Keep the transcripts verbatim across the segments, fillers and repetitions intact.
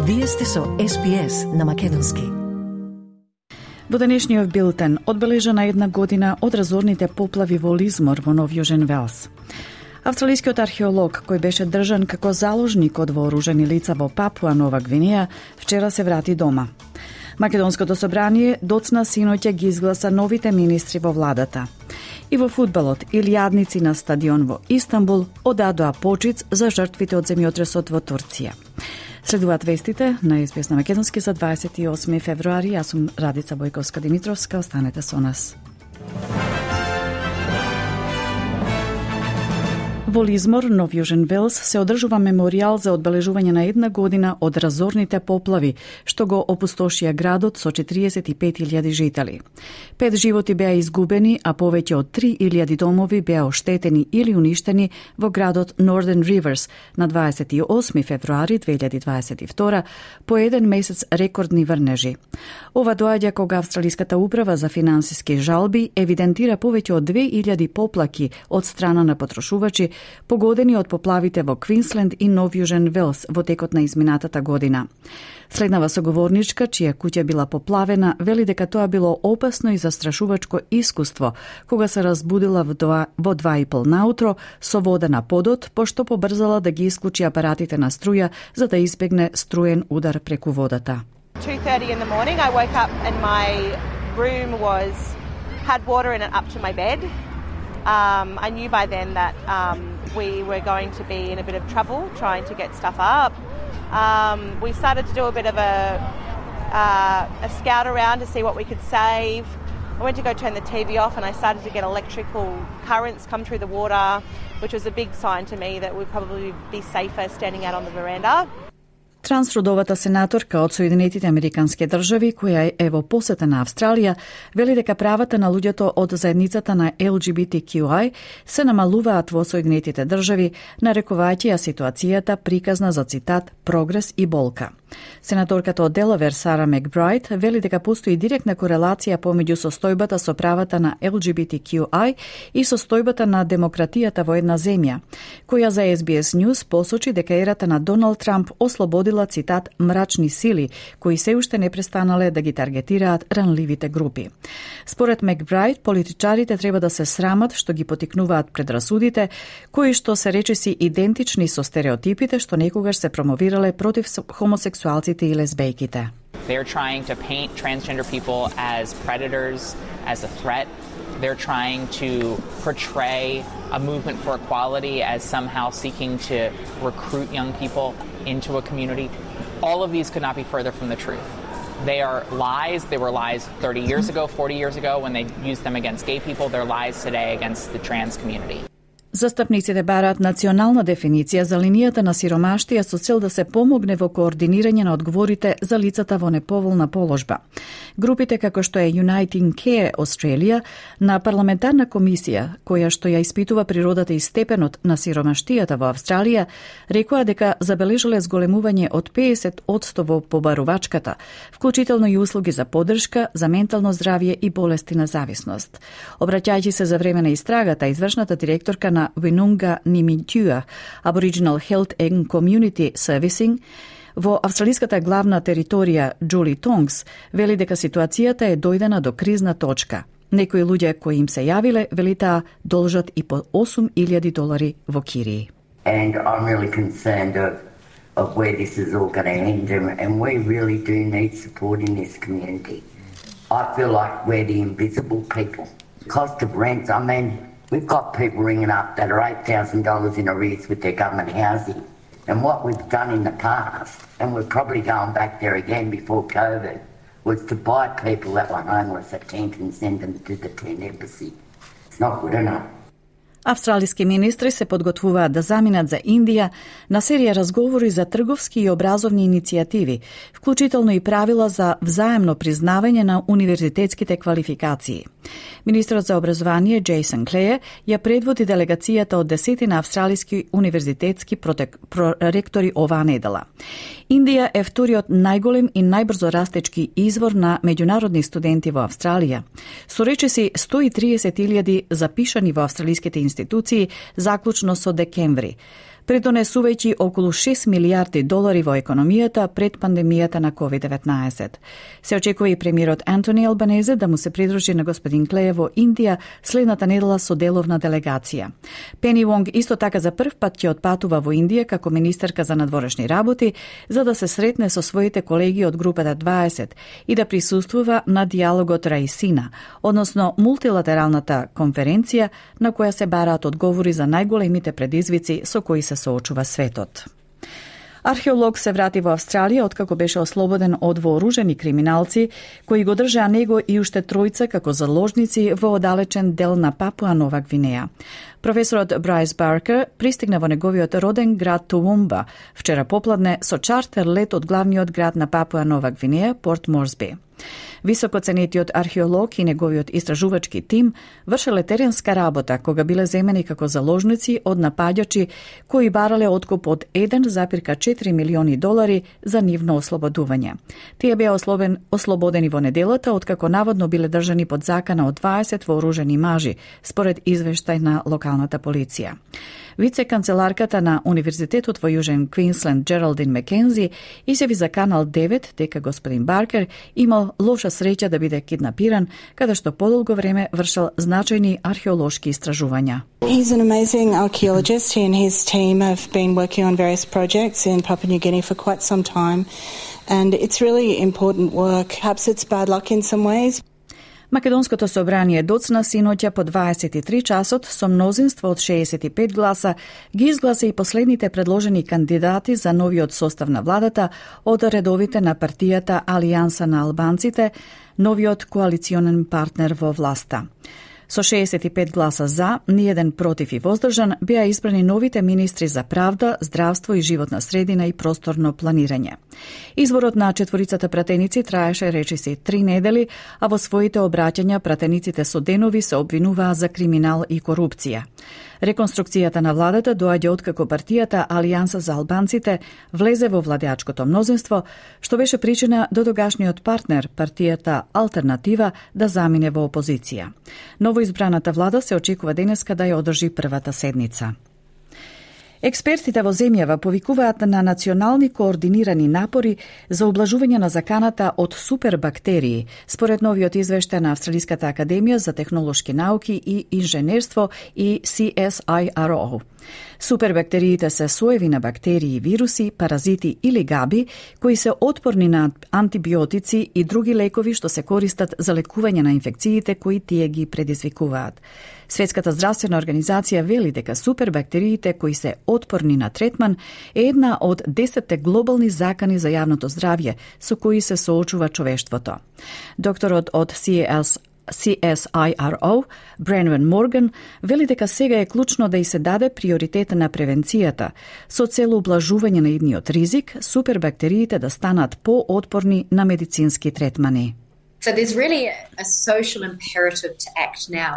Вие сте со Ес Би Ес на македонски. Во денешниот билтен одбележана една година од разорните поплави во Лизмор во Нов Јужен Велс. Австралискиот археолог, кој беше држан како заложник од вооружени лица во Папуа Нова Гвинеја, вчера се врати дома. Македонското собрание доцна синоќа ги изгласа новите министри во владата. И во фудбалот, илјадници на стадион во Истанбул одадоа почит за жртвите од земјотресот во Турција. Следуваат вестите на Ес Би Ес на македонски за дваесет и осми февруари. Јас сум Радица Бојковска-Димитровска. Останете со нас. Во Лизмор, Нов Јужен Велс, се одржува меморијал за одбележување на една година од разорните поплави, што го опустошија градот со четириесет и пет илјади жители. Пет животи беа изгубени, а повеќе од три илјади домови беа оштетени или уништени во градот Northern Rivers на дваесет и осми февруари две илјади дваесет и втора, по еден месец рекордни врнежи. Ова доаѓа кога Австралиската управа за финансиски жалби евидентира повеќе од две илјади поплаки од страна на потрошувачи погодени од поплавите во Квинсленд и Нов Јужен Велс во текот на изминатата година. Следнава соговорничка, чија куќа била поплавена, вели дека тоа било опасно и застрашувачко искуство, кога се разбудила во два, во два и пол наутро со вода на подот, пошто побрзала да ги исклучи апаратите на струја за да избегне струен удар преку водата. two thirty in the morning I woke up and my room was had water in it up to my bed. Um, I knew by then that um, we were going to be in a bit of trouble trying to get stuff up. Um, we started to do a bit of a, uh, a scout around to see what we could save. I went to go turn the T V off and I started to get electrical currents come through the water, which was a big sign to me that we'd probably be safer standing out on the veranda. Трансродовата сенаторка од Соединетите Американски држави, која е во посета на Австралија, вели дека правата на луѓето од заедницата на Ел Джи Би Ти Кју Ај се намалуваат во Соединетите држави, нарекувајќи ја ситуацијата приказна за, цитат, прогрес и болка. Сенаторката од Делавер Сара Макбрайт вели дека постои директна корелација помеѓу состојбата со правата на Ел Джи Би Ти Кју Ај и состојбата на демократијата во една земја, која за Ес Би Ес News посочи дека ерата на Доналд Трамп ослободила, цитат, мрачни сили, кои се уште не престанале да ги таргетираат ранливите групи. Според Макбрайт, политичарите треба да се срамат што ги потикнуваат предрасудите, кои што се речиси идентични со стереотипите што некогаш се промовирале против хомосексуалците и лесбејките. They're trying to paint transgender people as predators, as a threat. They're trying to portray a movement for equality as somehow seeking to recruit young people into a community. All of these could not be further from the truth. They are lies. They were lies thirty years ago, forty years ago when they used them against gay people. They're lies today against the trans community. Застапниците бараат национална дефиниција за линијата на сиромаштија со цел да се помогне во координирање на одговорите за лицата во неповолна положба. Групите како што е Uniting Care Australia на парламентарна комисија, која што ја испитува природата и степенот на сиромаштијата во Австралија, рекоа дека забележале зголемување од педесет одсто во побарувачката, вклучително и услуги за поддршка, за ментално здравје и болести на зависност. Обраќајќи се за време на истрагата, извршната директорка на Винунга Нимитјуа, Aboriginal Health and Community Servicing, во австралиската главна територија Джули Тонгс, вели дека ситуацијата е дојдена до кризна точка. Некои луѓе кои им се јавиле, вели таа должат и по осум илјади долари во кирии. And I'm really concerned of, of where this is all going to end, and, and we really do need support in this community. I feel like we're the invisible people. Cost of rent, I mean, we've got people ringing up that are eight thousand dollars in arrears with their government housing. And what we've done in the past, and we're probably going back there again before COVID, was to buy people that were homeless a tent and send them to the tent embassy. It's not good enough. Австралиски министри се подготвуваат да заминат за Индија на серија разговори за трговски и образовни иницијативи, вклучително и правила за взаемно признавање на универзитетските квалификации. Министрот за образование Джейсон Клеј ја предводи делегацијата од десетина австралиски универзитетски протек... проректори оваа недела. Индија е вториот најголем и најбрзо растечки извор на меѓународни студенти во Австралија. Со речиси сто и триесет илјади запишани во австралиските институции заклучно со декември. придонесувајќи околу шест милијарди долари во економијата пред пандемијата на ковид деветнаесет. Се очекува и премиерот Антони Албанезе да му се придружи на господин Клеј во Индија следната недела со деловна делегација. Пени Вонг исто така за прв пат ќе отпатува во Индија како министерка за надворешни работи за да се сретне со своите колеги од групата дваесет и да присуствува на диалогот Раисина, односно мултилатералната конференција на која се бараат одговори за најголемите предизвици со кои се соочува светот. Археолог се врати во Австралија откако беше ослободен од вооружени криминалци кои го држаа него и уште тројца како заложници во оддалечен дел на Папуа Нова Гвинеја. Професорот Брайс Баркер пристигна во неговиот роден град Тувумба вчера попладне со чартер лет од главниот град на Папуа Нова Гвинеја, Порт Морсби. Високоценетиот археолог и неговиот истражувачки тим вршеле теренска работа кога биле земени како заложници од напаѓачи кои барале откуп од еден зарез четири милиони долари за нивно ослободување. Тие беа ослободен, ослободени во неделата откако наводно биле држани под закана од дваесет вооружени мажи, според извештај на локалната полиција. Вице-канцеларката на Универзитетот во Јужен Квинсленд Джералдин Макензи изјави за Канал девет дека господин Баркер имал лоша среќа да биде киднапиран, каде што подолго време вршел значајни археолошки истражувања. He's an amazing archaeologist. He and his team have been working on various projects in Papua New Guinea for quite some time, and it's really important work. Perhaps it's bad luck in some ways. Македонското собрание доцна синоќа по дваесет и три часот со мнозинство од шеесет и пет гласа ги изгласа и последните предложени кандидати за новиот состав на владата од редовите на партијата Алијанса на албанците, новиот коалиционен партнер во власта. Со шеесет и пет гласа за, ниеден против и воздржан, беа избрани новите министри за правда, здравство и животна средина и просторно планирање. Изборот на четворицата пратеници траеше речиси три недели, а во своите обраќања пратениците со денови се обвинуваа за криминал и корупција. Реконструкцијата на владата доаѓа откако партијата Алијанса за албанците влезе во владеачкото мнозинство, што беше причина до тогашниот партнер, партијата Алтернатива, да замине во опозиција. Новоизбраната влада се очекува денеска да ја одржи првата седница. Експертите во земјава повикуваат на национални координирани напори за облажување на заканата од супербактерии, според новиот извештај на Австралиската академија за технолошки науки и инженерство и Си Ес Ај Ар О. Супербактериите се соеви на бактерии, вируси, паразити или габи кои се отпорни на антибиотици и други лекови што се користат за лекување на инфекциите кои тие ги предизвикуваат. Светската здравствена организација вели дека супербактериите кои се отпорни на третман е една од десетте глобални закани за јавното здравје со кои се соочува човештвото. Докторот од Си Ес Ај Ар О, Бренвен Морган, вели дека сега е клучно да и се даде приоритет на превенцијата, со цел ублажување на идниот ризик, супербактериите да станат поотпорни на медицински третмани. So there's really a social imperative to act now.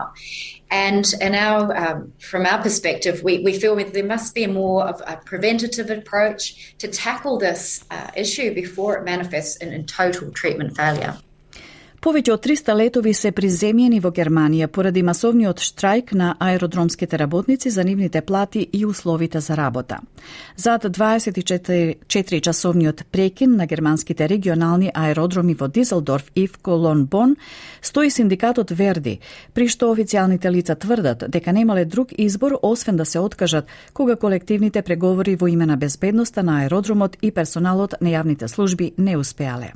And, and our, um, from our perspective, we, we feel that there must be a more of a preventative approach to tackle this uh, issue before it manifests in, in total treatment failure. Повеќе од триста летови се приземјени во Германија поради масовниот штрајк на аеродромските работници за нивните плати и условите за работа. Зад дваесет и четири часовниот прекин на германските регионални аеродроми во Дизелдорф и в Колон Бон стои синдикатот Верди, при што официјалните лица тврдат дека немале друг избор освен да се откажат кога колективните преговори во име на безбедноста на аеродромот и персоналот на јавните служби не успеале.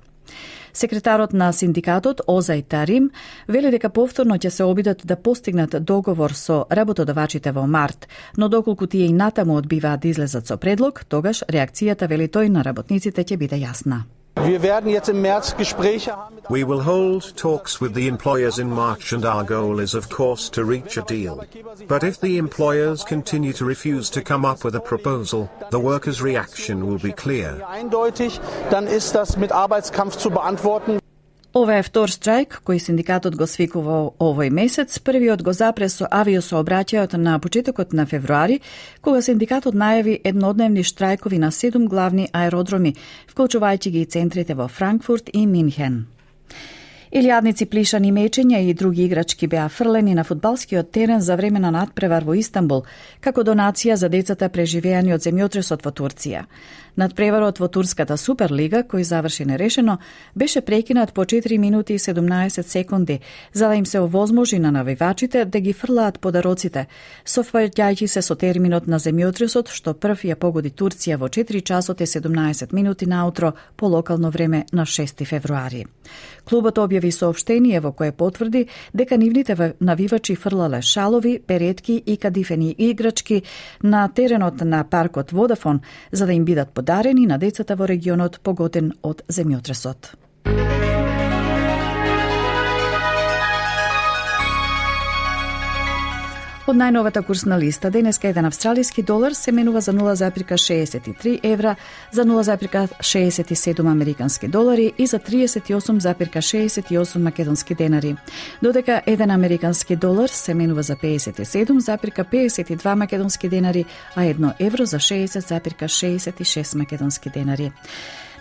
Секретарот на синдикатот Озај Тарим вели дека повторно ќе се обидат да постигнат договор со работодавачите во март, но доколку тие и натаму одбиваат да излезат со предлог, тогаш реакцијата, вели тој, на работниците ќе биде јасна. We will hold talks with the employers in March and our goal is of course to reach a deal. But if the employers continue to refuse to come up with a proposal, the workers' reaction will be clear. Dann ist das mit Arbeitskampf zu beantworten. Ова е втор штрајк кој синдикатот го свикува овој месец. Првиот го запре со авиосообраќајот на почетокот на февруари, кога синдикатот најави еднодневни штрајкови на седум главни аеродроми, вклучувајќи ги и центрите во Франкфурт и Минхен. Илјадници плишани мечења и други играчки беа фрлени на фудбалскиот терен за време на надпревар во Истанбул, како донација за децата преживеани од земјотресот во Турција. Надпреварот во Турската Суперлига, кој заврши нерешено, беше прекинат по четири минути и седумнаесет секунди, за да им се овозможи на навивачите да ги фрлаат подароците, совпаѓајќи се со терминот на земјотресот, што прв ја погоди Турција во четири часот и седумнаесет минути наутро по локално време на шести февруари. Клубот објави соопштение во кое потврди дека нивните навивачи фрлале шалови, перетки и кадифени играчки на теренот на паркот Водафон, за да им бидат подарени на децата во регионот погоден од земјотресот. Од најновата курсна листа, денеска еден австралиски долар се менува за нула зарез шеесет и три евра, за нула зарез шеесет и седум американски долари и за триесет и осум зарез шеесет и осум македонски денари. Додека еден американски долар се менува за пеесет и седум зарез пеесет и два македонски денари, а едно евро за шеесет зарез шеесет и шест македонски денари.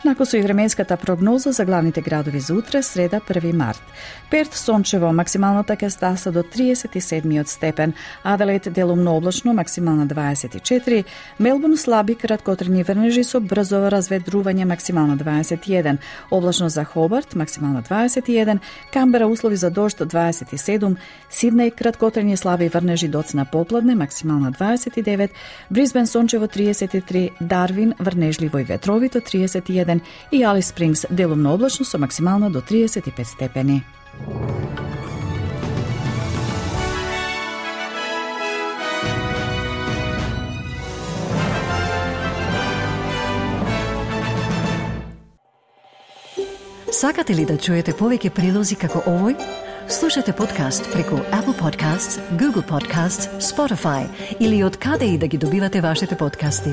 Нако со и временската прогноза за главните градови за утре, среда први март. Перт сончево, максималната ќе стаса до триесет и седмиот степен, Аделаид делумно облачно, максимална дваесет и четири, Мелбурн слаби краткотрени врнежи со брзо разветрување, максимална дваесет и еден, облачно за Хобарт, максимална дваесет и еден, Камбера услови за дожд дваесет и седум, Сиднеј краткотрени слаби врнежи доцна попладне, максимална дваесет и девет, Брисбен сончево триесет и три, Дарвин врнежливо и ветровито триесет и еден и Алис Спрингс делумно облачно со максимална до триесет и пет степени. Сакате ли да чуете повеќе прилози како овој? Слушате подкаст преку Apple Podcasts, Google Podcasts, Spotify или од каде и да ги добивате вашите подкасти.